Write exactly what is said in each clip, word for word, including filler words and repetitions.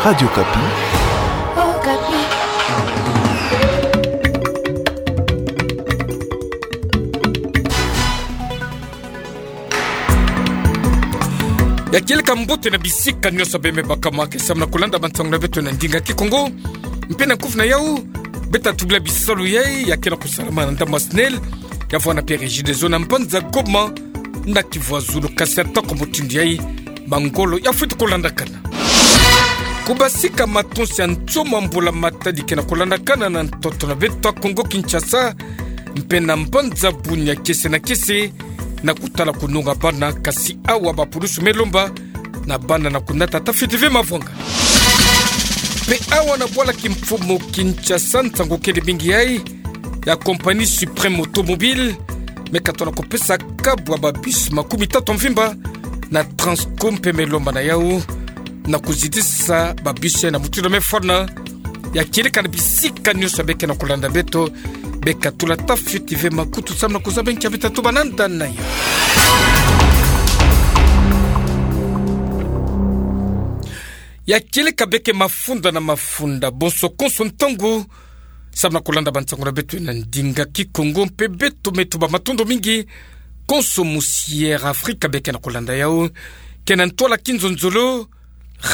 Radio Okapi. Okapi. Ya kieleka mbote na bisika nyonso bembe bakama ke samna kulanda bansango na beto na ndinga Kikongo. Mpe na kufi na yau, beta tubila bisalu yai ya kena kusalama na ndambu ya SNEL, ya vwanda mpe Regideso na mbanza Goma, na Kivu ya zulu. Kasi atako mutindu yai, mangolo ya fweti kulandakana. Kubasika matonsi ya nsomo, mbula matadi kena kulandakana na ntoto na beto Kongo Kinshasa, mpe na mbanza Bunia kiese na kiese, na kutala kununga bana, kasi awa bapulusu me lomba na bana na kunata ata fioti ve mavwanga. Mpe awa na bwala kimfumu Kinshasa, nsangu kele mingi yai ya compagnie Suprême Automobile, me katona kupesa kabu ya ba bus makumi tatu mvimba na Transco mpe me lomba na yau na kuzitisa ba bus yai na mutindu me fwana. Ya kieleka na bisika nyonso be kena kulanda beto, beka tula ata fioti ve makutu samna kuzaba nkia beta tuba na nda na yau. Ya kieleka beke mafunda na mafunda, bonso konso ntangu samna kulanda bansango na beto na ndinga Kikongo, mpe beto me tuba matondo mingi konso musi Air Afrika be kena kulanda yau, kena ntwala Kinzonzolo,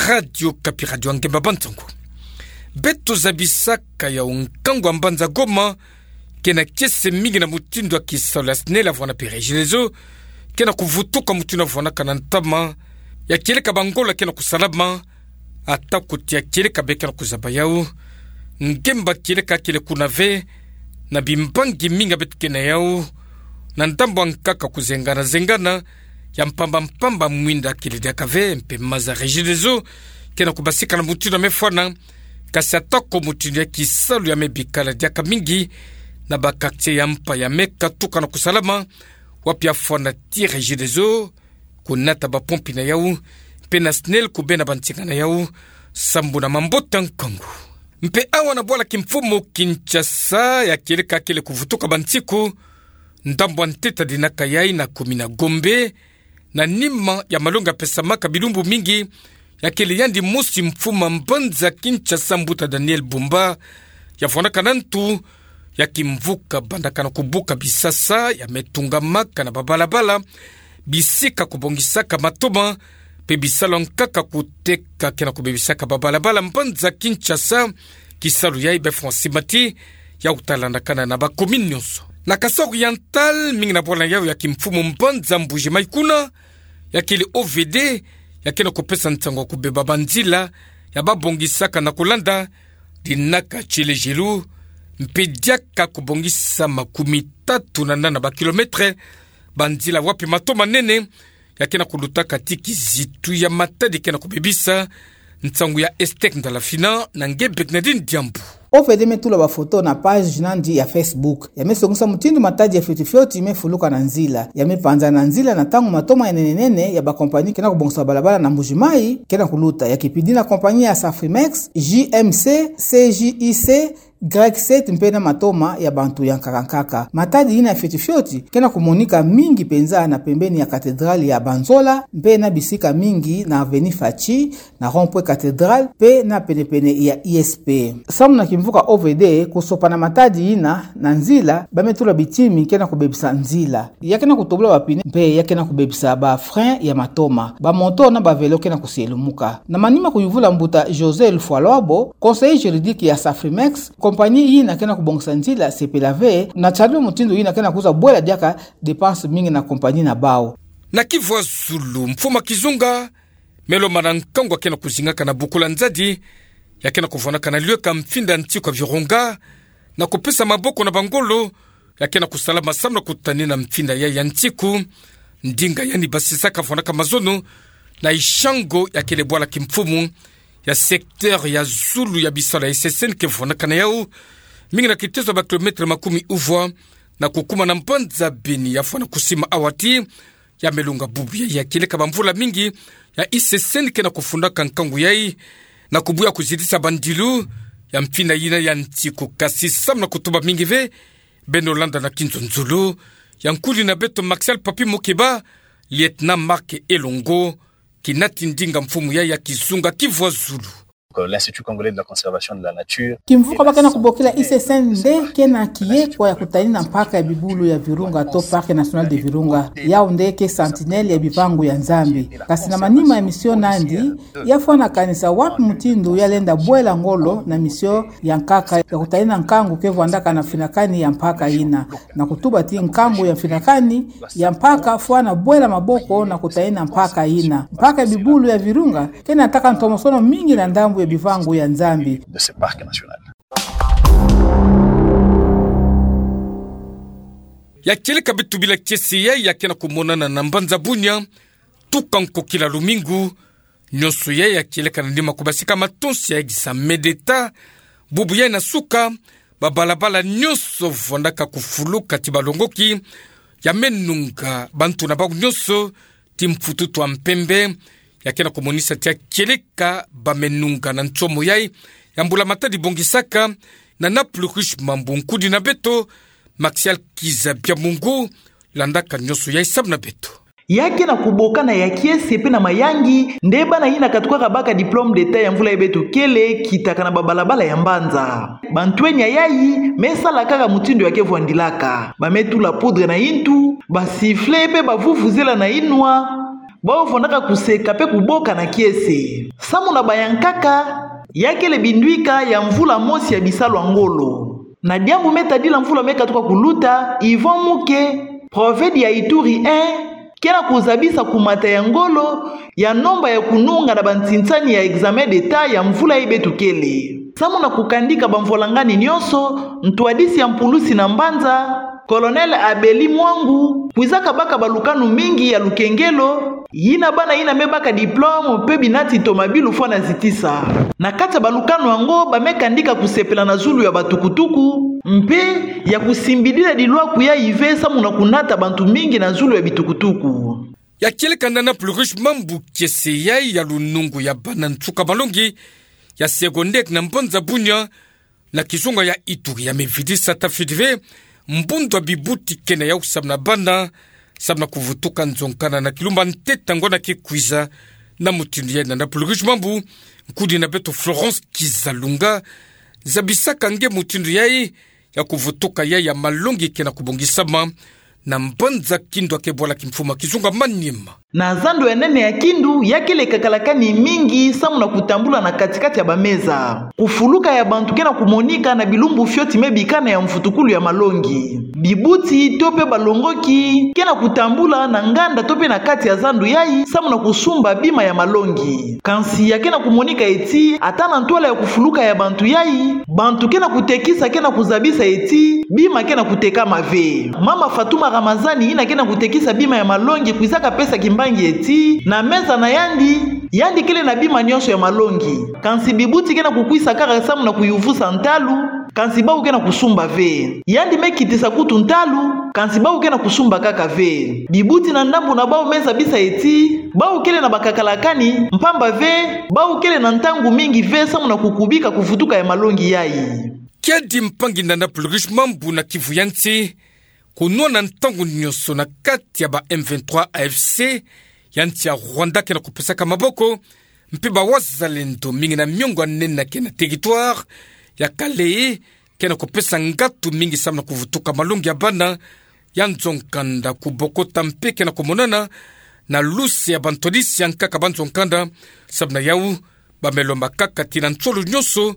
Radio Okapi, radio ya ngemba bansango. Beto zabisaka yau nkangu ya mbanza Goma kena kiese mingi na mutindu ya kisalu ya SNEL ya vwanda mpe Regideso kena kuvutuka mutindu ya vwandaka na ntama. Ya kieleka bangolo kena kusalama, ata kuti ya kieleka be kena kuzaba yau. Ngemba kieleka kele kuna ve, na bimbangi mingi beto ke na yau, na ndambu ya nkaka kuzengana-zengana, ya mpamba-mpamba mwinda kele diaka ve, mpe maza Regideso kena kubasika na mutindu ya me fwana. Kasi atako mutindu ya kisalu ya me bikala diaka mingi na ba quartier ya mpa ya me katuka na kusalama, wapi ya fwana ti Regideso kunata bapompi na yau, mpe na SNEL kubena bansinga na yau, sambu na mambote ya nkangu. Mpe awa na bwala kimfumu Kinshasa, ya kieleka kele kuvutuka bansiku, ndambu ya ntete dinaka yai na commune ya Gombe, na nima ya malongi ya pesamaka bilumbu mingi, ya kele yandi mosi mfumu ya mbanza Kinshasa, mbuta Daniel Bumba, ya vwandaka na ntu ya kimvuka bandaka na kubuka bisasa ya me tungamaka na babalabala, bisika kubongisaka matoma, mpe bisalu ya nkaka kuteka kena kubebisaka babalabala mbanza Kinshasa. Kisalu yai be fwa nsi mati, ya kutalandakana na ba commune nyonso. Na Kasaï Oriental, mingi na bwala yau ya kimfumu mbanza Mbuji-Mayi kuna, ya kele O V D, ya kena kupesa nsangu ya kubeba banzila ya babongisaka na kulanda dinaka tielejelu, mpe diaka kubongisa makumi tatu na nana ba kilomètre banzila wapi matoma nene ya kena kulutaka ti kizitu ya matadi kena kubebisa. Nsangu ya Estec Ndalafina na nge Bernardine Diambu. O V D me tula bafoto na page na yandi ya Facebook. Ya me songisa mutindu matadi ya fioti-fioti me fuluka na nzila. Ya me panzana nzila na ntangu matoma ya nene-nene ya ba compagnie kena kubongisa balabala na Mbuji-Mayi kena kuluta. Ya kipidi na compagnie ya Safrimex, J M C, C J I C, Grec Set mpe na matoma ya bantu ya nkaka-nkaka. Matadi yina ya fioti-fioti kena kumonika mingi mpenza na pembeni ya cathédrale ya Banzola, mpe na bisika mingi na avenue Fatshi, na rond-point Cathédrale, mpe na pene-pene ya I S P. Samu na kimvuka O V D kusopana matadi yina na nzila, ba me tula bitimi kena kubebisa nzila. Ya kena kutobola ba pneu, mpe ya kena kubebisa ba frein ya matoma. Ba moto na ba vélo kena kusielumuka. Na manima kuyuvula mbuta José Lufwalwabo, conseiller juridique ya Safrimex, compagnie yina kena kubongisa nzila sepela ve na tiari mutindu yina kena kuza bwela diaka dépense mingi na compagnie na bau. Na Kivu ya zulu, mfumu ya kizunga, me lomba na nkangu ya kena kuzingaka na bukula nzadi, ya kena kuvwanaka na lweka mfinda nsiku ya Virunga, na kupesa maboko na bangolo ya kena kusalama samu na kutanina mfinda yai ya nsiku. Ndinga yandi basisaka vwanaka mazono na Ishango, ya kele bwala kimfumu ya secteur ya zulu ya bisalu ya I C C N ke vwanaka na yau, mingi na kitezo ya ba kilomètre makumi uvwa, na kukuma na mbanza Beni ya fwana kusima awa ti ya me lunga bubu yai, ya kieleka bamvula mingi ya I C C N kena kufundaka nkangu yai na kubuya kuzitisa bandilu ya mfinda yina ya nsiku. Kasi samu na kutuba mingi ve, beno landa na Kinzonzolo ya nkuli na beto Martial Papi Mukeba, lieutenant Marc Elongo, kinati ndinga mfumu yai ya kizunga Kivu ya zulu. euh, l'Institut congolais de la conservation de la nature. Kimvuka ba kena kubokila I C C N nde kena kiye kwa ya kutani na mpaka ya bibulu ya Virunga to Parc national de Virunga. Yau nde ke sentinelle ya bivangu ya Nzambi. Kasi na manima ya mission nandi, yafwanakanisa wapi mutindu yalenda bwela ngolo na mission ya nkaka ya kutani na nkangu ke vwandaka na finakani ya mpaka ina. Na kutuba ti nkangu ya finakani ya mpaka fwana bwela maboko na kutani na mpaka ina. Mpaka ya bibulu ya Virunga kena nataka ntomosono mingi na ndambu ya bivangu ya Nzambi. De ce parc national. Ya kieleka beto bila kiese yai ya kena kumonana na mbanza Bunia, tuka nko kila lumingu, nyonso yai ya kieleka na nima kubasika matonsi ya examen d'État, bubu yai na suka, babalabala nyonso vwandaka kufuluka ti balongoki, ya me nunga bantu na bau nyonso, ti mpututu wa mpembe, ya kena kumonisa ti ya kieleka ba me nunga na nsomo yai, ya mbula-matadi bongisaka, na Nana Plurish Mambu nkudi na beto, Maxial Kiza Biamungu, landaka nyonso yai samu na beto. Ya kena kubokana ya kiese pe na mayangi, nde bana yina katukaka baka diplôme d'État ya mvula yai beto kele, kitaka na babalabala ya mbanza. Bantwenia yai, me sala kaka mutindu ya ke vwandilaka. Ba me tula poudre na intu, ba sifflet pe ba vuvuzela na inwa, bau vwandaka kuseka pe kubokana kiese. Samu na bayankaka, ya kele binduika ya mvula mosi ya bisalu ya ngolo. Na diambu me tadila mvula me katuka kuluta, Yvon Muke, prophète ya Ituri un, kena kuzabisa kumata ya ngolo, ya nomba ya kununga na bantinsani ya examen d'État ya mvula yai beto kele. Samu na kukandika bamvwalangani nyonso, ntwadisi ya mpulusi na mbanza, Colonel Abeli Mwangu, kwizaka baka balukanu mingi ya lukengelo, yina bana yina me baka diplôme pe binati tomabilu fwana zitisa. Na kati ya balukanu yango ba me kandika kusepela na zulu ya batukutuku, mpe ya kusimbidila dilwaku yai ve samu na kunata bantu mingi na zulu ya bitukutuku. Ya kieleka Nana Plurish Mambu kiese yai ya lunungu ya bana nsuka malongi ya secondaire na mbanza Bunia, na kizunga ya Ituri ya me vidisa tafidi ve, mbundu ya bibuti kena yau samu na bana, samu na kuvutuka nzonzana na kilumba ntete ngwa na ke kwiza, na mutindu yai Nana Plurish Mambu, nkudi na beto Florence Kizalunga, zabisaka nge mutindu yai, ya kuvutuka yai ya malongi kena kubongisama, na mbanza Kindu ya ke bwala kimfumu ya kizunga Maniema. Na zando ya nene ya Kindu, ya kele kakalakani mingi samu na kutambula na kati-kati ya bameza. Kufuluka ya bantu kena kumonika na bilumbu fioti me bikana ya mvutukulu ya malongi. Bibuti to pe balongoki kena kutambula na nganda to pe na kati ya zando yai samu na kusumba bima ya malongi. Kansi ya kena kumonika eti, ata na ntwala ya kufuluka ya bantu yai, bantu kena kutekisa kena kuzabisa eti, bima kena kutekama ve. Mama Fatuma Ramazani yina kena kutekisa bima ya malongi kwizaka pesa kimbangi eti, na meza na yandi, yandi kele na bima nyonso ya malongi. Kansi bibuti kena kukwisa kaka samu na kuyuvusa ntalu, kansi bau kena kusumba ve. Yandi me kitisa kutu ntalu, kansi bau kena kusumba kaka ve. Bibuti na ndambu na bau me zabisa eti, bau kele na bakakalakani, mpamba ve, bau kele na ntangu mingi ve samu na kukubika kuvutuka ya malongi yai. Kiadi mpangi Nana Plurish Mambu na kivu ya nsi, kunwana ntangu nyonso na kati ya ba M vingt-trois A F C, ya nsi ya Rwanda kena kupesaka maboko, mpe ba wazalendo mingi na miongo ya nene ya kena territoire ya Kalehe, kena kupesa ngatu mingi samu na kuvutuka malongi ya bana ya nzo-nkanda kubokota mpe kena kumonana na luse ya bantwadisi ya nkaka ba nzo-nkanda, samu na yau, ba me lomba kaka ti na nsolo nyonso,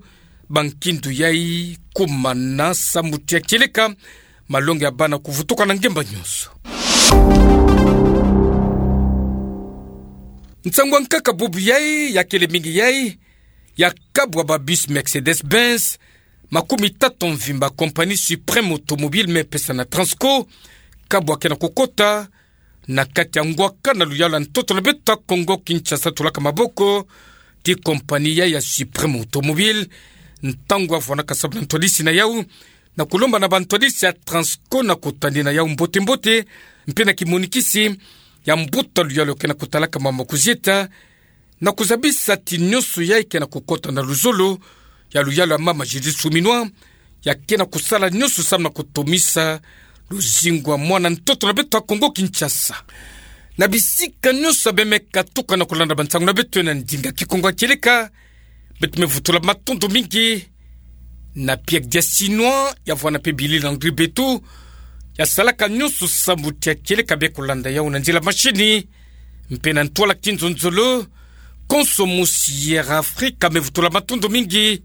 ba nkindu yai kumana samu ti ya kieleka malongi ya bana kuvutuka na ngemba nyonso. Nsangu ya nkaka bubu yai, ya kele mingi yai, ya kabu ya ba bus Mercedes-Benz makumi tatu mvimba, compagnie Suprême Automobile me pesa na Transco, kabu ya kena kukota na kati ya ngwaka na luyalu ya ntoto na beto ya Kongo Kinshasa, tolaka maboko ti compagnie yai ya Suprême Automobile, ntangu ya vwanaka samu na ntwadisi na yau, na kulomba na bantwadisi ya Transco na kutani na yau mbote-mbote, mpe na kimonikisi ya mbuta luyalu kena kutalaka mama kuzieta, na kuzabisa ti nyonso yai kena kukota na luzolo ya luyalu ya mama Judith Suminwa, ya kena kusala nyonso samu na kutomisa luzingu ya mwana ntoto na beto ya Kongo Kinshasa. Na bisika nyonso ya beno me katuka na kulanda bansangu na beto na ndinga Kikongo ya kieleka, Beto me vutu la matondo mingi. Na pia dia sinwa ya vwa na pe bili Landry Beto, ya salaka nyonso sambu tia kieleka be kolanda ya una nzila masini. Mpe na ntoa la kinzonzolo, konso mosi ya Afrika me vutu la matondo mingi.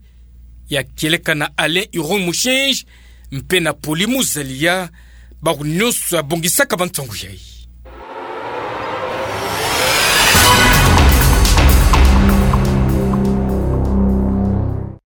Ya kieleka na Alain Huron Mouchenj, mpe na Poli Muzalia, bawu nyonso ya bongisaka bansangu yayi.